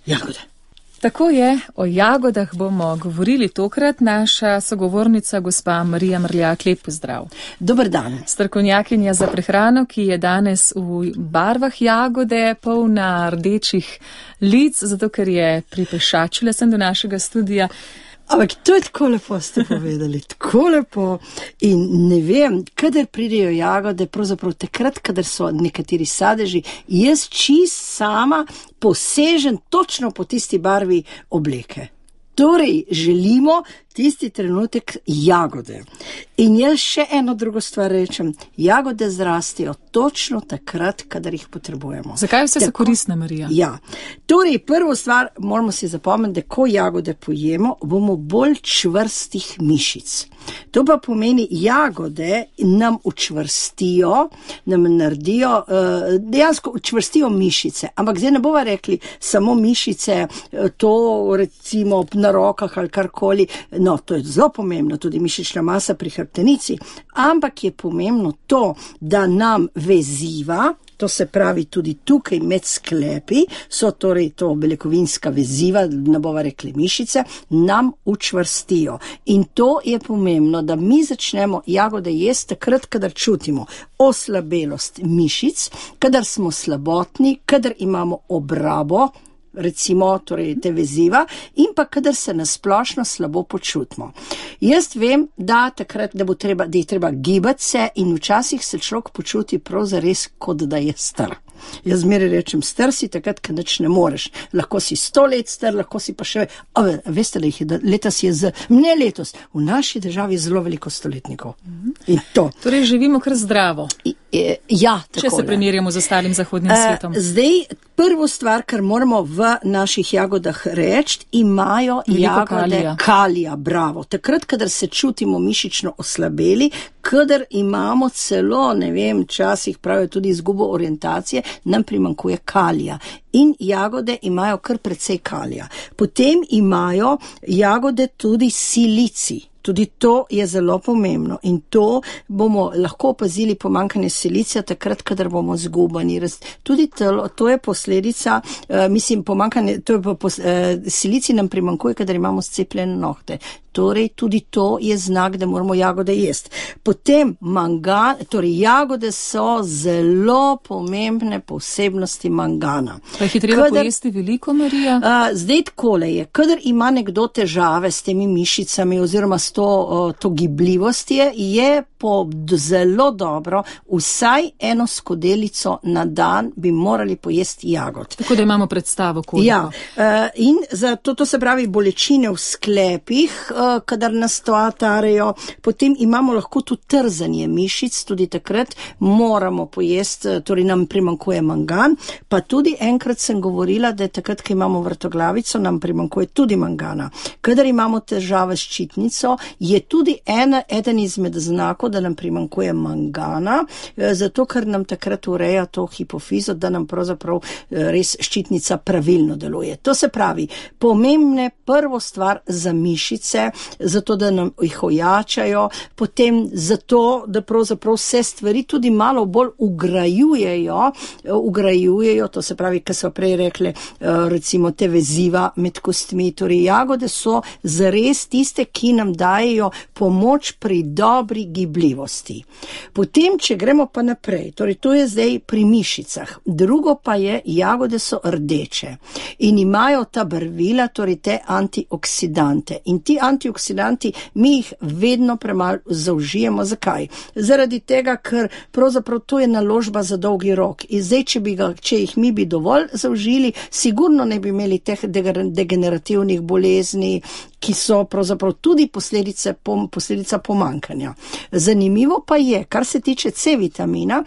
jagode. Tako je, o jagodah bomo govorili tokrat. Naša sogovornica, gospa Marija Mrljak, lep pozdrav. Dober dan. Strokovnjakinja za prehrano, ki je danes v barvah jagode, polna rdečih lic, zato ker je pripešačila sem do našega studia. Ampak to je tako lepo, ste povedali, tako lepo. In ne vem, kadar pridejo jagode, pravzaprav takrat, kadar so nekateri sadeži, jaz čist sama posežem točno po tisti barvi obleke. Torej, želimo tisti trenutek jagode. In jaz še eno drugo stvar rečem, jagode zrastijo točno takrat, kadar jih potrebujemo. Zakaj vse so koristne, Marija? Ja, torej prvo stvar moramo si zapomniti, da ko jagode pojemo, bomo bolj čvrstih mišic. To pa pomeni, jagode nam učvrstijo, nam naredijo, dejansko učvrstijo mišice, ampak zdaj ne bova rekli samo mišice, to recimo na rokah ali karkoli, no, to je zelo pomembno, tudi mišična masa pri hrbtenici, ampak je pomembno to, da nam veziva, to se pravi tudi tukaj med sklepi, so torej to beljakovinska veziva, ne bova rekli mišice, nam učvrstijo. In to je pomembno, da mi začnemo jagode jesti takrat, kadar čutimo oslabelost mišic, kadar smo slabotni, kadar imamo obrabo, recimo torej te veziva, in pa kadar se nasplošno slabo počutimo. Jaz vem, da takrat, da je treba gibati se in včasih se človek počuti prav zares, kot da je star. Jaz zmeraj rečem, star si takrat, kad nič ne moreš. Lahko si 100 let star, lahko si pa še, veste, da letos je ne letos, v naši državi je zelo veliko stoletnikov. In to. Torej živimo kar zdravo. Ja, tako. Če se primerjamo z ostalim zahodnim svetom. Zdaj, prvo stvar, kar moramo v naših jagodah reči, imajo jagode kalija, bravo. Takrat, kadar se čutimo mišično oslabeli, kadar imamo celo, ne vem, včasih pravijo tudi izgubo orientacije, nam primanjkuje kalija. In jagode imajo kar precej kalija. Potem imajo jagode tudi silicij. Tudi to je zelo pomembno in to bomo lahko opazili pomanjkanje silicija takrat, kadar bomo zgubani. Tudi to je posledica, pomanjkanje, silicij nam primanjkuje, kadar imamo scepljene nohte. Torej, tudi to je znak, da moramo jagode jesti. Potem mangan, torej jagode so zelo pomembne posebnosti mangana. Pa jih je treba pojesti veliko, Marija? Zdaj takole je, kadar ima nekdo težave s temi mišicami oziroma s to gibljivost je zelo dobro, vsaj eno skodelico na dan bi morali pojesti jagod. Tako da imamo predstavo, koliko. Ja, in zato to se pravi bolečine v sklepih, kadar nas to atarejo, potem imamo lahko tudi trzanje mišic, tudi takrat moramo pojesti, torej nam primanjkuje mangan, pa tudi enkrat sem govorila, da takrat, ko imamo vrtoglavico, nam primanjkuje tudi mangana. Kadar imamo težave s ščitnico, je tudi eden izmed znakov, da nam primanjkuje mangana, zato ker nam takrat ureja to hipofizo, da nam pravzaprav res ščitnica pravilno deluje. To se pravi, pomembne prvo stvar za mišice, zato da nam jih ojačajo, potem zato, da pravzaprav vse stvari tudi malo bolj ugrajujejo, to se pravi, kar so prej rekli, recimo te veziva med kostmi, torej jagode so zares tiste, ki nam dajejo pomoč pri dobri gibljivosti. Potem, če gremo pa naprej, torej to je zdaj pri mišicah, drugo pa je, jagode so rdeče in imajo ta barvila, torej te antioksidante. In ti antioksidanti, mi jih vedno premalo zaužijemo. Zakaj? Zaradi tega, ker pravzaprav to je naložba za dolgi rok. In zdaj, če jih mi bi dovolj zaužili, sigurno ne bi imeli teh degenerativnih bolezni, ki so pravzaprav tudi posledica pomanjkanja. Zanimivo pa je, kar se tiče C-vitamina,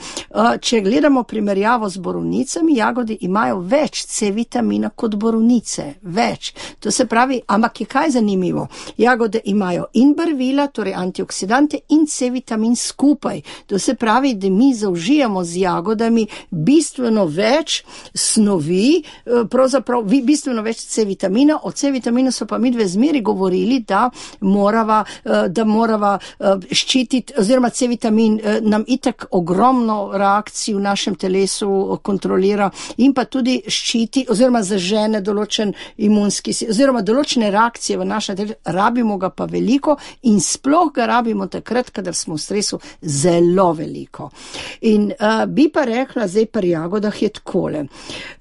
če gledamo primerjavo z borovnicami, jagode imajo več C-vitamina kot borovnice, več. To se pravi, ampak je kaj zanimivo? Jagode imajo in barvila, torej antioksidante, in C-vitamin skupaj. To se pravi, da mi zaužijamo z jagodami bistveno več snovi, pravzaprav bistveno več C-vitamina, o C-vitaminu so pa midve zmeri govorili, da morava ščititi, oziroma C-vitamin nam itak ogromno reakcij v našem telesu kontrolira in pa tudi ščiti, oziroma zažene določen imunski, oziroma določene reakcije v našem telesu, rabimo ga pa veliko in sploh ga rabimo takrat, kadar smo v stresu, zelo veliko. In bi pa rekla, zdaj pri jagodah je takole.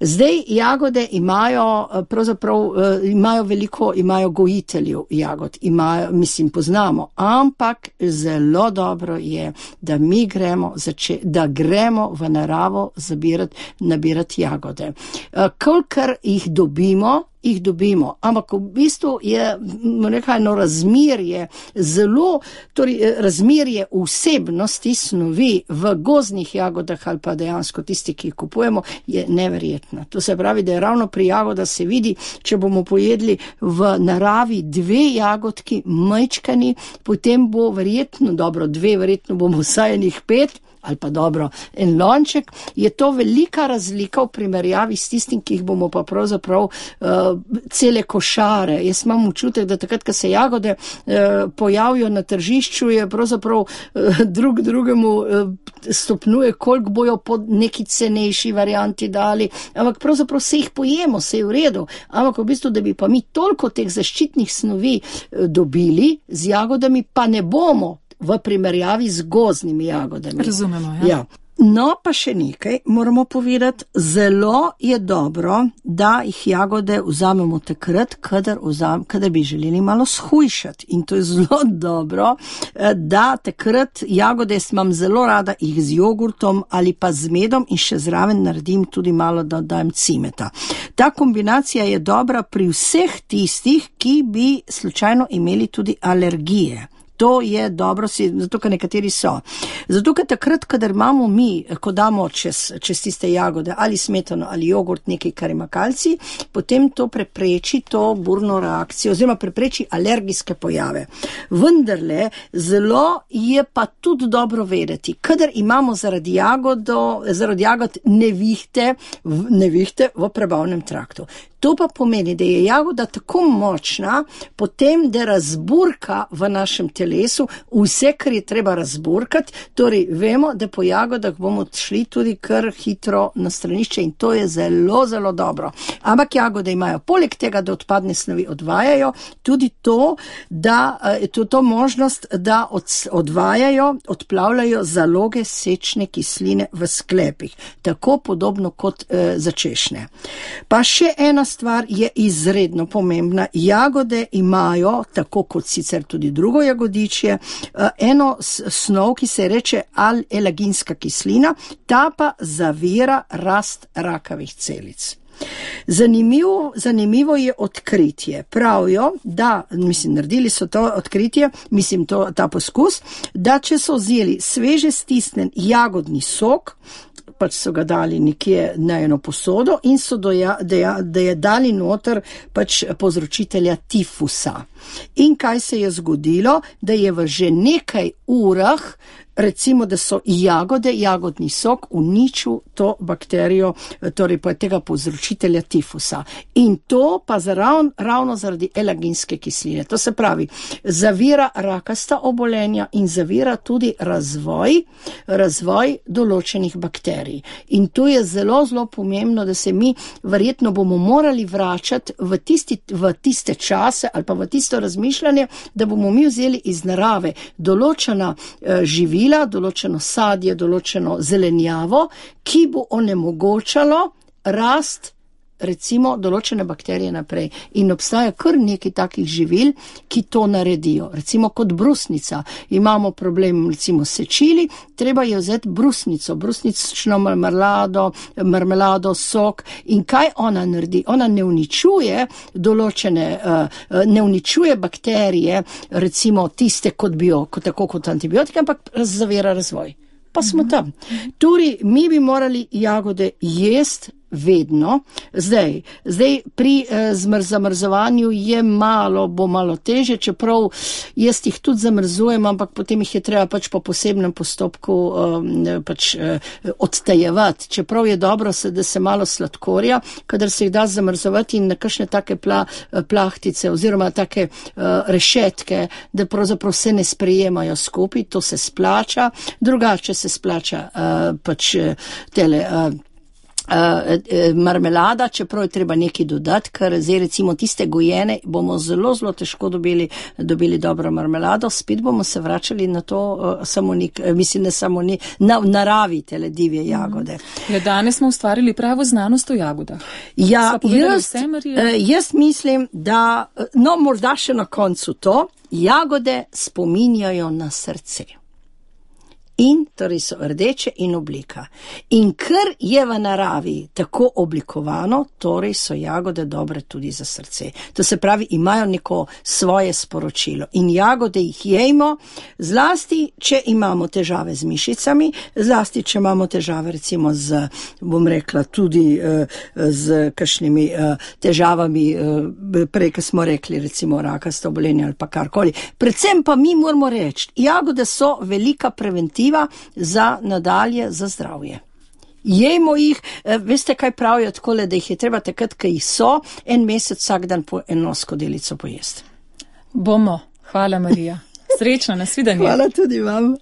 Zdaj jagode imajo, pravzaprav imajo veliko, imajo gojiteljev jagod, poznamo, ampak zelo dobro je, da mi gremo v naravo nabirati jagode. Kolikor jih dobimo, ampak v bistvu je razmerje vsebnosti snovi v gozdnih jagodah ali pa dejansko tisti, ki jih kupujemo, je neverjetna. To se pravi, da je ravno pri jagodah se vidi, če bomo pojedli v naravi 2 jagodki majčkani, potem bo verjetno bomo vsaj enih 5, ali pa dobro, en lonček, je to velika razlika v primerjavi s tistim, ki jih bomo pa pravzaprav cele košare. Jaz imam občutek, da takrat, ko se jagode pojavijo na tržišču, je pravzaprav drugemu stopnjuje, koliko bojo po neki cenejši varianti dali, ampak pravzaprav se jih pojemo, se je v redu, ampak v bistvu, da bi pa mi toliko teh zaščitnih snovi dobili z jagodami, pa ne bomo v primerjavi z gozdnimi jagodami. Razumemo, ja. No, pa še nekaj moramo povedati. Zelo je dobro, da jih jagode vzamemo takrat, kadar bi želeli malo shujšati. In to je zelo dobro, da takrat jagode imam zelo rada jih z jogurtom ali pa z medom in še zraven naredim tudi malo, da dajem cimeta. Ta kombinacija je dobra pri vseh tistih, ki bi slučajno imeli tudi alergije. To je dobro, zato ker nekateri so. Zato ker takrat, kadar imamo mi, ko damo čez tiste jagode ali smetano ali jogurt, nekaj, kar ima kalcij, potem to prepreči to burno reakcijo, oziroma prepreči alergijske pojave. Vendarle, zelo je pa tudi dobro vedeti, kadar imamo zaradi jagod nevihte v prebavnem traktu. To pa pomeni, da je jagoda tako močna, potem, da razburka v našem telesu vse, kar je treba razburkati, torej vemo, da po jagodah bomo šli tudi kar hitro na stranišče in to je zelo, zelo dobro. Ampak jagode imajo poleg tega, da odpadne snovi odvajajo, tudi to možnost, da odplavljajo zaloge sečne kisline v sklepih, tako podobno kot za češnje. Pa še ena stvar je izredno pomembna. Jagode imajo, tako kot sicer tudi drugo jagodičje, eno snov, ki se reče L-elaginska kislina, ta pa zavira rast rakavih celic. Zanimivo je odkritje. Pravijo, da, naredili so to odkritje, ta poskus, da če so vzeli sveže stisnen jagodni sok, pač so ga dali nekje na eno posodo in so da je dali noter pač povzročitelja tifusa. In kaj se je zgodilo? Da je v že nekaj urah, recimo, da so jagodni sok uničil to bakterijo, torej pa tega povzročitelja tifusa. In to pa ravno zaradi elaginske kisline. To se pravi, zavira rakasta obolenja in zavira tudi razvoj določenih bakterij. In to je zelo, zelo pomembno, da se mi verjetno bomo morali vračati v tiste čase ali pa v tisto razmišljanje, da bomo mi vzeli iz narave določena živila, določeno sadje, določeno zelenjavo, ki bo onemogočalo rast recimo določene bakterije naprej. In obstaja kar nekaj takih živil, ki to naredijo. Recimo kot brusnica. Imamo problem recimo s sečili, treba je vzeti brusnico, brusnično marmelado, sok. In kaj ona naredi? Ona ne uničuje bakterije, recimo tiste tako kot antibiotike, ampak zavira razvoj. Pa smo tam. Torej, mi bi morali jagode jesti vedno. Zdaj pri zamrzovanju je bo malo teže, čeprav jaz jih tudi zamrzujem, ampak potem jih je treba pač po posebnem postopku odtajevati. Čeprav je dobro, da se malo sladkorja, kadar se jih da zamrzovati in na kakšne take plahtice oziroma take rešetke, da pravzaprav se ne sprejemajo skupaj, to se splača. Drugače se splača marmelada, čeprav je treba nekaj dodati, ker zdaj recimo tiste gojene bomo zelo, zelo težko dobili dobro marmelado, spet bomo se vračali na to na naravi tele divje jagode. Ja, danes smo ustvarili pravo znanost o jagodah. Ja, jaz mislim, da, morda še na koncu to, jagode spominjajo na srce. In torej so rdeče in oblika. In ker je v naravi tako oblikovano, torej so jagode dobre tudi za srce. To se pravi, imajo neko svoje sporočilo. In jagode jih jejmo, zlasti, če imamo težave z mišicami, zlasti, če imamo težave recimo tudi z kakšnimi težavami, prej, ko smo rekli, recimo rakasto obolenje ali pa karkoli. Predvsem pa mi moramo reči, jagode so velika preventiva za nadalje, za zdravje. Jejmo jih, veste kaj pravijo takole, da jih je treba takrat, ko jih so, en mesec vsak dan po eno skodelico pojesti. Bomo. Hvala, Marija. Srečno, nasvidenje. Hvala tudi vam.